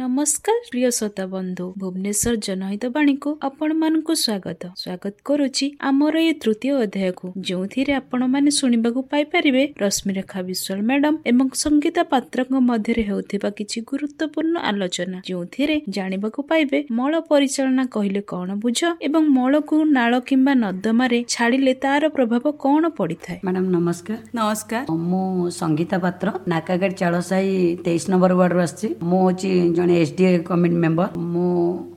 ନମସ୍କାର ପ୍ରିୟ ଶ୍ରୋତା ବନ୍ଧୁ, ଭୁବନେଶ୍ୱର ଜନହିତ ବାଣୀକୁ ଆପଣମାନଙ୍କୁ ସ୍ୱାଗତ। ସ୍ୱାଗତ କରୁଛି ଆମର ଏ ତୃତୀୟ ଅଧ୍ୟାୟକୁ, ଯେଉଁଥିରେ ଆପଣମାନେ ଶୁଣିବାକୁ ପାଇପାରିବେ ରଶ୍ମିରେଖା ବିଶ୍ୱାଳ ମ୍ୟାଡାମ ଏବଂ ସଙ୍ଗୀତା ପାତ୍ରଙ୍କ ମଧ୍ୟରେ ହେଉଥିବା କିଛି ଗୁରୁତ୍ୱପୂର୍ଣ୍ଣ ଆଲୋଚନା, ଯେଉଁଥିରେ ଜାଣିବାକୁ ପାଇବେ ମଳ ପରିଚାଳନା କହିଲେ କଣ ବୁଝ ଏବଂ ମଳକୁ ନାଳ କିମ୍ବା ନର୍ଦ୍ଦମାରେ ଛାଡ଼ିଲେ ତାର ପ୍ରଭାବ କଣ ପଡ଼ିଥାଏ। ମ୍ୟାଡାମ ନମସ୍କାର। ନମସ୍କାର। ମୁଁ ସଙ୍ଗୀତା ପାତ୍ର, ନାକାଗାଡ଼ି ଚାଳସାହି 23 ନମ୍ବର ୱାର୍ଡରୁ ଆସିଛି। ମୁଁ ହେଉଛି ଜଣେ SDA committee member. ମୁଁ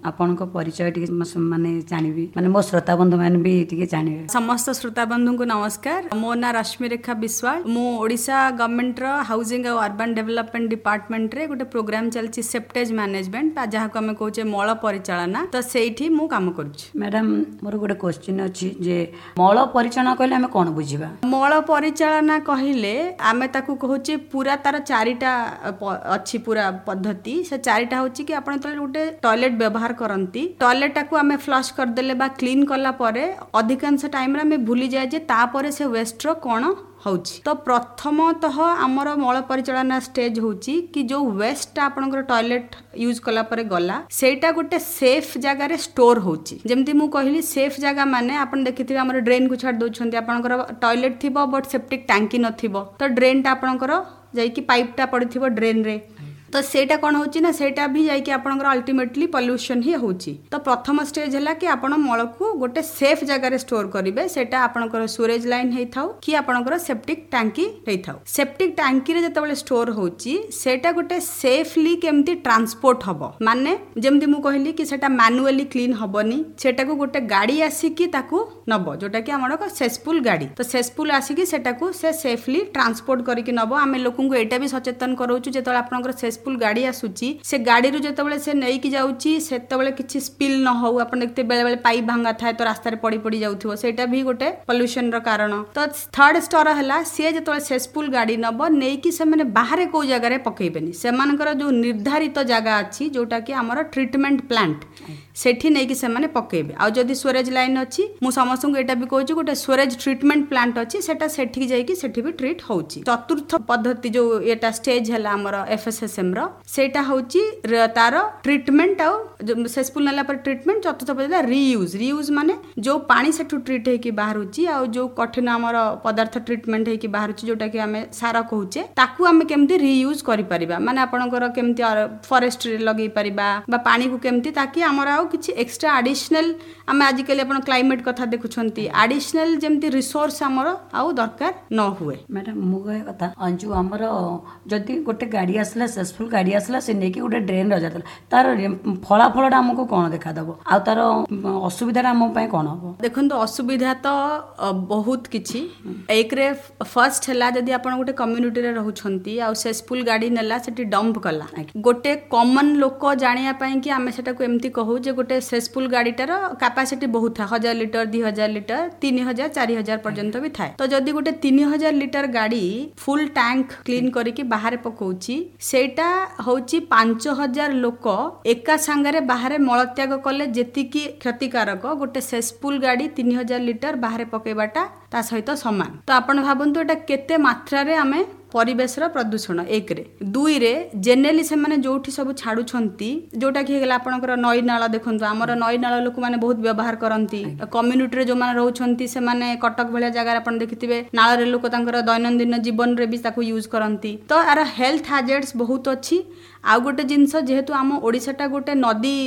ଆପଣଙ୍କ ପରିଚୟ ଟିକେ ମାନେ ଜାଣିବି, ମାନେ ମୋ ଶ୍ରୋତା ବନ୍ଧୁ ମାନେ ବି ଟିକେ ଜାଣିବେ। ସମସ୍ତ ଶ୍ରୋତା ବନ୍ଧୁଙ୍କୁ ନମସ୍କାର। ମୋ ନାଁ ରଶ୍ମିରେଖା ବିଶ୍ୱାଳ। ମୁଁ ଓଡ଼ିଶା ଗଭର୍ଣ୍ଣମେଣ୍ଟର ହାଉସିଂ ଆଉ ଅର୍ବାନ ଡେଭଲପମେଣ୍ଟ ଡିପାର୍ଟମେଣ୍ଟରେ ଗୋଟେ ପ୍ରୋଗ୍ରାମ ଚାଲିଛି ସେପ୍ଟେଜ ମ୍ୟାନେଜମେଣ୍ଟ, ବା ଯାହାକୁ ଆମେ କହୁଛେ ମଳ ପରିଚାଳନା, ତ ସେଇଠି ମୁଁ କାମ କରୁଛି। ମ୍ୟାଡାମ, ମୋର ଗୋଟେ କ୍ୱେଶ୍ଚିନ୍ ଅଛି ଯେ ମଳ ପରିଚାଳନା କହିଲେ ଆମେ କଣ ବୁଝିବା? ମଳ ପରିଚାଳନା କହିଲେ ଆମେ ତାକୁ କହୁଛେ ପୁରା ତାର ଚାରିଟା ଅଛି ପୁରା ପଦ୍ଧତି। ସେ ଚାରିଟା ହେଉଛି କି ଆପଣ ଯେତେବେଳେ ଗୋଟେ ଟଏଲେଟ୍ ବ୍ୟବହାର କରନ୍ତି, ଟଏଲେଟ୍ଟାକୁ ଆମେ ଫ୍ଲସ୍ କରିଦେଲେ ବା କ୍ଲିନ୍ କଲା ପରେ ଅଧିକାଂଶ ଟାଇମ୍ରେ ଆମେ ଭୁଲିଯାଏ ଯେ ତାପରେ ସେ ୱେଷ୍ଟର କ'ଣ ହେଉଛି। ତ ପ୍ରଥମତଃ ଆମର ମଳ ପରିଚାଳନା ଷ୍ଟେଜ୍ ହେଉଛି କି ଯେଉଁ ୱେଷ୍ଟଟା ଆପଣଙ୍କର ଟଏଲେଟ୍ ୟୁଜ୍ କଲା ପରେ ଗଲା, ସେଇଟା ଗୋଟେ ସେଫ୍ ଜାଗାରେ ଷ୍ଟୋର୍ ହେଉଛି। ଯେମିତି ମୁଁ କହିଲି ସେଫ୍ ଜାଗା ମାନେ ଆପଣ ଦେଖିଥିବେ ଆମର ଡ୍ରେନ୍କୁ ଛାଡ଼ି ଦେଉଛନ୍ତି। ଆପଣଙ୍କର ଟଏଲେଟ୍ ଥିବ ବଟ୍ ସେପ୍ଟିକ୍ ଟାଙ୍କି ନଥିବ, ତ ଡ୍ରେନ୍ଟା ଆପଣଙ୍କର ଯାଇକି ପାଇପ୍ଟା ପଡ଼ିଥିବ ଡ୍ରେନ୍ରେ, ତ ସେଇଟା କ'ଣ ହେଉଛି ନା ସେଇଟା ବି ଯାଇକି ଆପଣଙ୍କର ଅଲ୍ଟିମେଟଲି ପଲ୍ୟୁସନ୍ ହିଁ ହେଉଛି। ତ ପ୍ରଥମ ଷ୍ଟେଜ୍ ହେଲା କି ଆପଣ ମଳକୁ ଗୋଟେ ସେଫ୍ ଜାଗାରେ ଷ୍ଟୋର୍ କରିବେ। ସେଇଟା ଆପଣଙ୍କର ସୁରେଜ୍ ଲାଇନ୍ ହେଇଥାଉ କି ଆପଣଙ୍କର ସେପ୍ଟିକ୍ ଟାଙ୍କି ହେଇଥାଉ। ସେପ୍ଟିକ୍ ଟାଙ୍କିରେ ଯେତେବେଳେ ଷ୍ଟୋର୍ ହେଉଛି, ସେଇଟା ଗୋଟେ ସେଫଲି କେମିତି ଟ୍ରାନ୍ସପୋର୍ଟ ହେବ, ମାନେ ଯେମିତି ମୁଁ କହିଲି କି ସେଇଟା ମାନୁଆଲି କ୍ଲିନ୍ ହେବନି, ସେଇଟାକୁ ଗୋଟେ ଗାଡ଼ି ଆସିକି ତାକୁ ନେବ, ଯେଉଁଟାକି ଆମର ସେସ୍ପୁଲ୍ ଗାଡ଼ି। ତ ସେସ୍ପୁଲ୍ ଆସିକି ସେଟାକୁ ସେ ସେଫଲି ଟ୍ରାନ୍ସପୋର୍ଟ କରିକି ନେବ। ଆମେ ଲୋକଙ୍କୁ ଏଇଟା ବି ସଚେତନ କରାଉଛୁ, ଯେତେବେଳେ ଆପଣଙ୍କର ସେସ୍ପୁଲ୍ ଗାଡ଼ି ଆସୁଛି, ସେ ଗାଡ଼ିରୁ ଯେତେବେଳେ ସେ ନେଇକି ଯାଉଛି ସେତେବେଳେ କିଛି ସ୍ପିଲ୍ ନ ହଉ। ଆପଣ ଦେଖିଥିବେ ବେଳେବେଳେ ପାଇପ୍ ଭାଙ୍ଗା ଥାଏ ତ ରାସ୍ତାରେ ପଡ଼ି ପଡ଼ି ଯାଉଥିବ, ସେଇଟା ବି ଗୋଟେ ପଲ୍ୟୁସନର କାରଣ। ତ ଥାର୍ଡ ସ୍ତର ହେଲା ସିଏ ଯେତେବେଳେ ସେସ୍ପୁଲ୍ ଗାଡ଼ି ନେବ, ନେଇକି ସେମାନେ ବାହାରେ କେଉଁ ଜାଗାରେ ପକେଇବେନି, ସେମାନଙ୍କର ଯେଉଁ ନିର୍ଦ୍ଧାରିତ ଜାଗା ଅଛି ଯେଉଁଟାକି ଆମର ଟ୍ରିଟମେଣ୍ଟ ପ୍ଲାଣ୍ଟ, ସେଠି ନେଇକି ସେମାନେ ପକେଇବେ। ଆଉ ଯଦି ସ୍ୱରେଜ୍ ଲାଇନ୍ ଅଛି, ମୁଁ ସମସ୍ତଙ୍କୁ ଏଇଟା ବି କହୁଛି ଗୋଟେ ସ୍ୱରେଜ୍ ଟ୍ରିଟମେଣ୍ଟ ପ୍ଲାଣ୍ଟ ଅଛି, ସେଟା ସେଠିକି ଯାଇକି ସେଠି ବି ଟ୍ରିଟ୍ ହେଉଛି। ଚତୁର୍ଥ ପଦ୍ଧତି ଯେଉଁ ଏଟା ଷ୍ଟେଜ୍ ହେଲା ଆମର FSSM ର, ସେଇଟା ହେଉଛି ତାର ଟ୍ରିଟମେଣ୍ଟ। ଆଉ ସେସ୍ପୁଲ୍ ନେଲା ପରେ ଟ୍ରିଟମେଣ୍ଟ। ଚତୁର୍ଥ ପଦ୍ଧତି ରିୟୁଜ୍। ରିୟୁଜ୍ ମାନେ ଯେଉଁ ପାଣି ସେଠୁ ଟ୍ରିଟ୍ ହେଇକି ବାହାରୁଛି ଆଉ ଯେଉଁ କଠିନ ଆମର ପଦାର୍ଥ ଟ୍ରିଟମେଣ୍ଟ ହେଇକି ବାହାରୁଛି, ଯେଉଁଟାକି ଆମେ ସାର କହୁଛେ, ତାକୁ ଆମେ କେମିତି ରିୟୁଜ୍ କରିପାରିବା, ମାନେ ଆପଣଙ୍କର କେମିତି ଫରେଷ୍ଟରେ ଲଗେଇ ପାରିବା ବା ପାଣିକୁ କେମିତି, ତାକି ଆମର ଆଉ କିଛି ଏକ୍ସଟ୍ରା ଆଡିସନାଲ, ଆମେ ଆଜିକାଲି ଆପଣ କ୍ଲାଇମେଟ୍ କଥା ଦେଖୁଛନ୍ତି, ଆଡିସନାଲ ଯେମିତି ରିସୋର୍ସ ଆମର ଆଉ ଦରକାର ନ ହୁଏ। ମ୍ୟାଡାମ, ମୁଁ କହିବା କଥା ଯେଉଁ ଆମର ଯଦି ଗୋଟେ ଗାଡ଼ି ଆସିଲା, ସେସ୍ପୁଲ୍ ଗାଡ଼ି ଆସିଲା, ସେ ନେଇକି ଗୋଟେ ଡ୍ରେନ୍ ରଜାଦେଲା, ତାର ଫଳାଫଳଟା ଆମକୁ କ'ଣ ଦେଖାଦେବ ଆଉ ତାର ଅସୁବିଧାଟା ଆମ ପାଇଁ କ'ଣ ହବ? ଦେଖନ୍ତୁ, ଅସୁବିଧା ତ ବହୁତ କିଛି। ଏକରେ ଫାର୍ଷ୍ଟ ହେଲା ଯଦି ଆପଣ ଗୋଟେ କମ୍ୟୁନିଟିରେ ରହୁଛନ୍ତି ଆଉ ସେସ୍ପୁଲ୍ ଗାଡ଼ି ନେଲା ସେଠି ଡମ୍ପ କଲା, ଗୋଟେ କମନ୍ ଲୋକ ଜାଣିବା ପାଇଁ କି ଆମେ ସେଟାକୁ ଏମିତି କହୁ ଯେ ଗୋଟେ ସେସ୍ପୁଲ୍ ଗାଡ଼ିଟାର କାପାସିଟି ବହୁତ ଥାଏ, 1000 ଲିଟର, 2000 ଲିଟର, 3000, 4000 ପର୍ଯ୍ୟନ୍ତ ବି ଥାଏ। ତ ଯଦି ଗୋଟେ 3000 ଲିଟର ଗାଡ଼ି ଫୁଲ୍ ଟ୍ୟାଙ୍କ କ୍ଲିନ୍ କରିକି ବାହାରେ ପକଉଛି, ସେଇଟା ହେଉଛି 5000 ଲୋକ ଏକା ସାଙ୍ଗରେ ବାହାରେ ମଳତ୍ୟାଗ କଲେ ଯେତିକି କ୍ଷତିକାରକ, ଗୋଟେ ସେସ୍ପୁଲ୍ ଗାଡ଼ି 3000 ଲିଟର ବାହାରେ ପକେଇବାଟା ତା ସହିତ ସମାନ। ତ ଆପଣ ଭାବନ୍ତୁ ଏଇଟା କେତେ ମାତ୍ରାରେ ଆମେ ପରିବେଶର ପ୍ରଦୂଷଣ। ଏକରେ। ଦୁଇରେ ଜେନେରାଲି ସେମାନେ ଯେଉଁଠି ସବୁ ଛାଡ଼ୁଛନ୍ତି, ଯେଉଁଟାକି ହେଇଗଲା ଆପଣଙ୍କର ନଈ ନାଳ। ଦେଖନ୍ତୁ ଆମର ନଈ ନାଳ ଲୋକମାନେ ବହୁତ ବ୍ୟବହାର କରନ୍ତି, କମ୍ୟୁନିଟିରେ ଯେଉଁମାନେ ରହୁଛନ୍ତି ସେମାନେ କଟକ ଭଳିଆ ଜାଗାରେ ଆପଣ ଦେଖିଥିବେ ନାଳରେ ଲୋକ ତାଙ୍କର ଦୈନନ୍ଦିନ ଜୀବନରେ ବି ତାକୁ ୟୁଜ୍ କରନ୍ତି। ତ ଆର ହେଲ୍ଥ ହାଜାର୍ଡସ୍ ବହୁତ ଅଛି। ଆଉ ଗୋଟେ ଜିନିଷ, ଯେହେତୁ ଆମ ଓଡ଼ିଶାଟା ଗୋଟେ ନଦୀ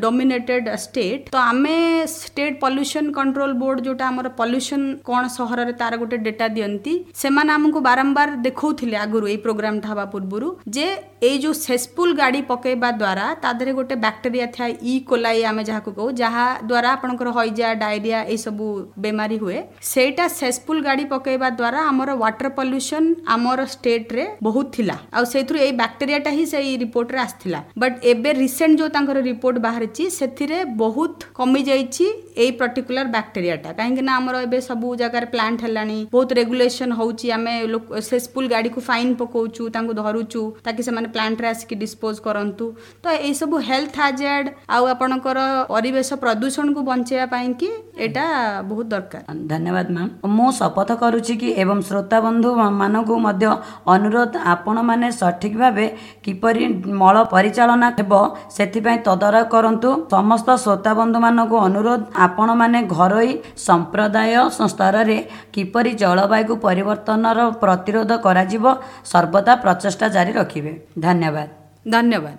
ଡୋମିନେଟେଡ୍ ଷ୍ଟେଟ୍, ତ ଆମେ ଷ୍ଟେଟ୍ ପଲ୍ୟୁସନ୍ କଣ୍ଟ୍ରୋଲ ବୋର୍ଡ ଯେଉଁଟା ଆମର ପଲ୍ୟୁସନ୍ କ'ଣ ସହରରେ ତାର ଗୋଟେ ଡେଟା ଦିଅନ୍ତି, ସେମାନେ ଆମକୁ ବାରମ୍ବାର ଦେଖାଉଥିଲେ ଆଗରୁ ଏଇ ପ୍ରୋଗ୍ରାମଟା ହେବା ପୂର୍ବରୁ ଯେ ଏଇ ଯେଉଁ ସେସ୍ପୁଲ୍ ଗାଡ଼ି ପକେଇବା ଦ୍ୱାରା ତା ଦେହରେ ଗୋଟେ ବ୍ୟାକ୍ଟେରିଆ ଥାଏ ଇ କୋଲାଇ ଆମେ ଯାହାକୁ କହୁ, ଯାହା ଦ୍ୱାରା ଆପଣଙ୍କର ହଇଜା, ଡାଇରିଆ ଏଇସବୁ ବେମାରୀ ହୁଏ। ସେଇଟା ସେସ୍ପୁଲ୍ ଗାଡ଼ି ପକେଇବା ଦ୍ୱାରା ଆମର ୱାଟର ପଲ୍ୟୁସନ୍ ଆମର ଷ୍ଟେଟ୍ରେ ବହୁତ ଥିଲା, ଆଉ ସେଇଥିରୁ ଏଇ ବ୍ୟାକ୍ଟେରିଆଟା ହିଁ ସେଇ ରିପୋର୍ଟରେ ଆସିଥିଲା। ବଟ୍ ଏବେ ରିସେଣ୍ଟ ଯେଉଁ ତାଙ୍କର ରିପୋର୍ଟ ବାହାରିଛି ସେଥିରେ ବହୁତ କମିଯାଇଛି ଏଇ ପର୍ଟିକୁଲାର ବ୍ୟାକ୍ଟେରିଆଟା, କାହିଁକି ନା ଆମର ଏବେ ସବୁ ଜାଗାରେ ପ୍ଲାଣ୍ଟ ହେଲାଣି, ବହୁତ ରେଗୁଲେସନ୍ ହେଉଛି, ଆମେ ସେସ୍ପୁଲ୍ ଗାଡ଼ିକୁ ଫାଇନ୍ ପକାଉଛୁ, ତାଙ୍କୁ ଧରୁଛୁ ତାକି ସେମାନେ ପ୍ଲାଣ୍ଟରେ ଆସିକି ଡିସ୍ପୋଜ କରନ୍ତୁ। ତ ଏଇସବୁ ହେଲ୍ଥ ହାଜାର୍ଡ ଆଉ ଆପଣଙ୍କର ପରିବେଶ ପ୍ରଦୂଷଣକୁ ବଞ୍ଚେଇବା ପାଇଁକି ଏଇଟା ବହୁତ ଦରକାର। ଧନ୍ୟବାଦ ମ୍ୟାମ୍। ମୁଁ ଶପଥ କରୁଛି କି ଏବଂ ଶ୍ରୋତା ବନ୍ଧୁ ମାନଙ୍କୁ ମଧ୍ୟ ଅନୁରୋଧ, ଆପଣମାନେ ସଠିକ୍ ଭାବେ କିପରି ମଳ ପରିଚାଳନା ହେବ ସେଥିପାଇଁ ତଦାରଖ କରନ୍ତୁ। ସମସ୍ତ ଶ୍ରୋତା ବନ୍ଧୁମାନଙ୍କୁ ଅନୁରୋଧ, ଆପଣମାନେ ଘରୋଇ ସମ୍ପ୍ରଦାୟ ସ୍ତରରେ କିପରି ଜଳବାୟୁ ପରିବର୍ତ୍ତନର ପ୍ରତିରୋଧ କରାଯିବ ସର୍ବଦା ପ୍ରଚେଷ୍ଟା ଜାରି ରଖିବେ। ଧନ୍ୟବାଦ। ଧନ୍ୟବାଦ।